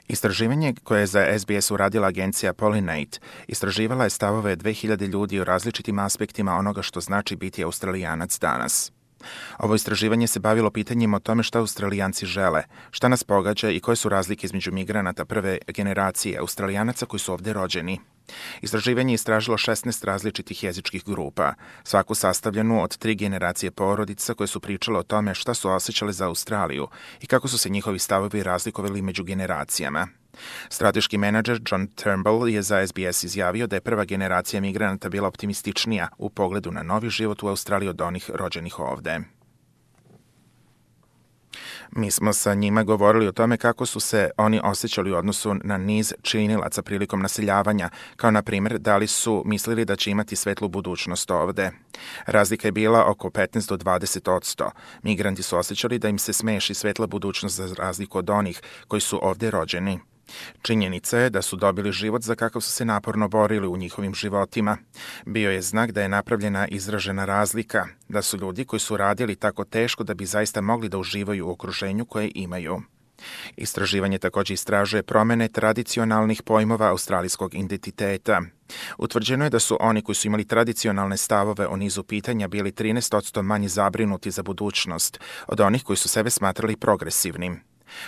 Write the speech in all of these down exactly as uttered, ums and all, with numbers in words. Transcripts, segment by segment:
Istraživanje koje je za S B S uradila agencija Pollinate istraživala je stavove dve hiljade ljudi o različitim aspektima onoga što znači biti Australijanac danas. Ovo istraživanje se bavilo pitanjima o tome šta Australijanci žele, šta nas pogađa i koje su razlike između migranata prve generacije Australijanaca koji su ovde rođeni. Istraživanje je istražilo šesnaest različitih jezičkih grupa, svaku sastavljenu od tri generacije porodica koje su pričale o tome šta su osjećale za Australiju i kako su se njihovi stavovi razlikovali među generacijama. Strateški menadžer John Turnbull je za S B S izjavio da je prva generacija migranata bila optimističnija u pogledu na novi život u Australiji od onih rođenih ovde. Mi smo sa njima govorili o tome kako su se oni osjećali u odnosu na niz činilaca prilikom naseljavanja, kao na primjer da li su mislili da će imati svetlu budućnost ovde. Razlika je bila oko petnaest do dvadeset odsto. Migranti su osjećali da im se smeši svetla budućnost za razliku od onih koji su ovde rođeni. Činjenica je da su dobili život za kakav su se naporno borili u njihovim životima. Bio je znak da je napravljena izražena razlika, da su ljudi koji su radili tako teško da bi zaista mogli da uživaju u okruženju koje imaju. Istraživanje također istražuje promene tradicionalnih pojmova australijskog identiteta. Utvrđeno je da su oni koji su imali tradicionalne stavove o nizu pitanja bili trinaest odsto manje zabrinuti za budućnost od onih koji su sebe smatrali progresivnim.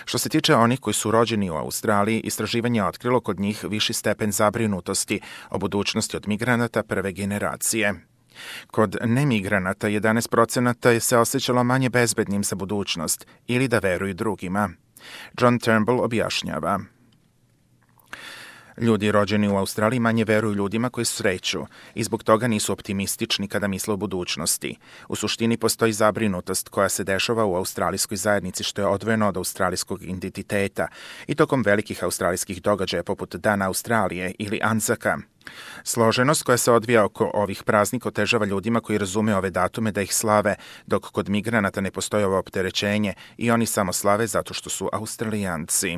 Što se tiče onih koji su rođeni u Australiji, istraživanje je otkrilo kod njih viši stepen zabrinutosti o budućnosti od migranata prve generacije. Kod nemigranata jedanaest procenata se osjećalo manje bezbednim za budućnost ili da veruju drugima. John Turnbull objašnjava. Ljudi rođeni u Australiji manje veruju ljudima koji sreću i zbog toga nisu optimistični kada misle o budućnosti. U suštini postoji zabrinutost koja se dešava u australijskoj zajednici što je odvojeno od australijskog identiteta i tokom velikih australijskih događaja poput Dana Australije ili Anzaka. Složenost koja se odvija oko ovih praznika otežava ljudima koji razume ove datume da ih slave, dok kod migranata ne postoji ovo opterećenje i oni samo slave zato što su Australijanci.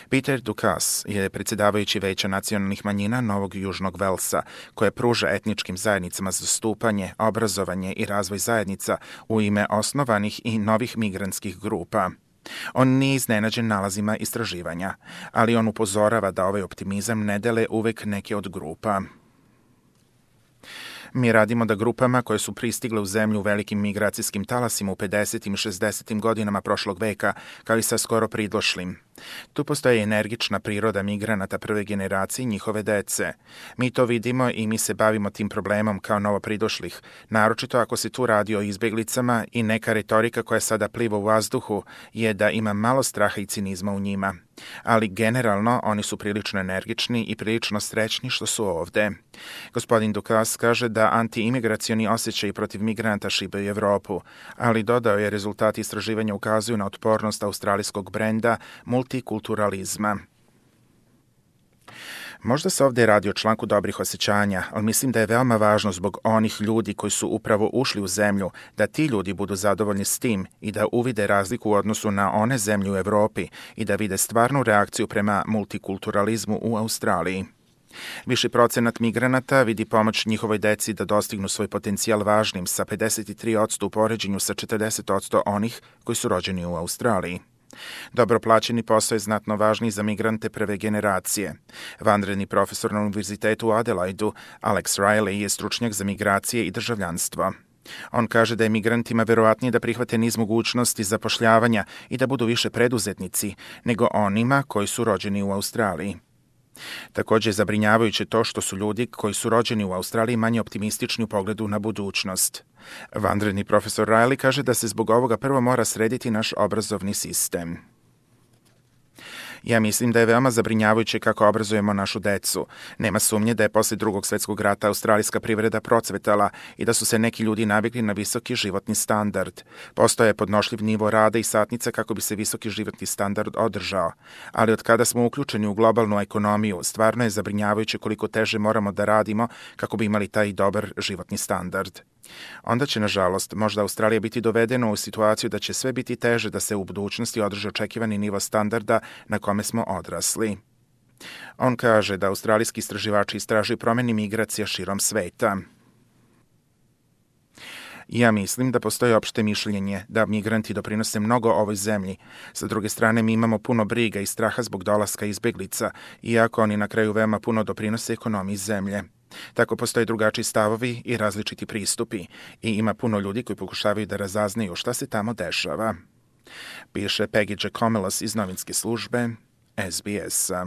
Peter Dukas je predsjedavajući Veća nacionalnih manjina Novog Južnog Velsa, koje pruža etničkim zajednicama zastupanje, obrazovanje i razvoj zajednica u ime osnovanih i novih migrantskih grupa. On nije iznenađen nalazima istraživanja, ali on upozorava da ovaj optimizam ne dele uvek neke od grupa. Mi radimo da grupama koje su pristigle u zemlju u velikim migracijskim talasima u pedesetim i šezdesetim godinama prošlog veka, kao i sa skoro pridošlim. Tu postoji energična priroda migranata prve generacije i njihove dece. Mi to vidimo i mi se bavimo tim problemom kao novo pridošlih, naročito ako se tu radi o izbjeglicama i neka retorika koja sada pliva u vazduhu je da ima malo straha i cinizma u njima. Ali generalno oni su prilično energični i prilično srećni što su ovde. Gospodin Dukas kaže da anti-imigracioni osjećaji protiv migranata šibaju Evropu, ali dodao je rezultati istraživanja ukazuju na otpornost australijskog brenda multikulturalizma. Možda se ovdje radi o članku dobrih osjećanja, ali mislim da je veoma važno zbog onih ljudi koji su upravo ušli u zemlju, da ti ljudi budu zadovoljni s tim i da uvide razliku u odnosu na one zemlje u Evropi i da vide stvarnu reakciju prema multikulturalizmu u Australiji. Viši procenat migranata vidi pomoć njihovoj deci da dostignu svoj potencijal važnim sa pedeset tri odsto u poređenju sa četrdeset odsto onih koji su rođeni u Australiji. Dobro plaćeni posao je znatno važniji za migrante prve generacije. Vanredni profesor na univerzitetu u Adelaidu, Alex Riley, je stručnjak za migracije i državljanstvo. On kaže da je migrantima verovatnije da prihvate niz mogućnosti zapošljavanja i da budu više preduzetnici nego onima koji su rođeni u Australiji. Također je zabrinjavajuće to što su ljudi koji su rođeni u Australiji manje optimistični u pogledu na budućnost. Vanredni profesor Riley kaže da se zbog ovoga prvo mora srediti naš obrazovni sistem. Ja mislim da je veoma zabrinjavajuće kako obrazujemo našu decu. Nema sumnje da je posle drugog svjetskog rata australijska privreda procvetala i da su se neki ljudi navikli na visoki životni standard. Postoje podnošljiv nivo rada i satnica kako bi se visoki životni standard održao. Ali od kada smo uključeni u globalnu ekonomiju, stvarno je zabrinjavajuće koliko teže moramo da radimo kako bi imali taj dobar životni standard. Onda će, nažalost, možda Australija biti dovedena u situaciju da će sve biti teže da se u budućnosti održi očekivani nivo standarda na kome smo odrasli. On kaže da australijski istraživači istražuju promjene migracija širom sveta. Ja mislim da postoji opšte mišljenje da migranti doprinose mnogo ovoj zemlji. Sa druge strane, mi imamo puno briga i straha zbog dolaska izbeglica, iako oni na kraju veoma puno doprinose ekonomiji zemlje. Tako postoje drugačiji stavovi i različiti pristupi i ima puno ljudi koji pokušavaju da razaznaju šta se tamo dešava. Piše Peggy Giacomelos iz novinske službe S B S-a.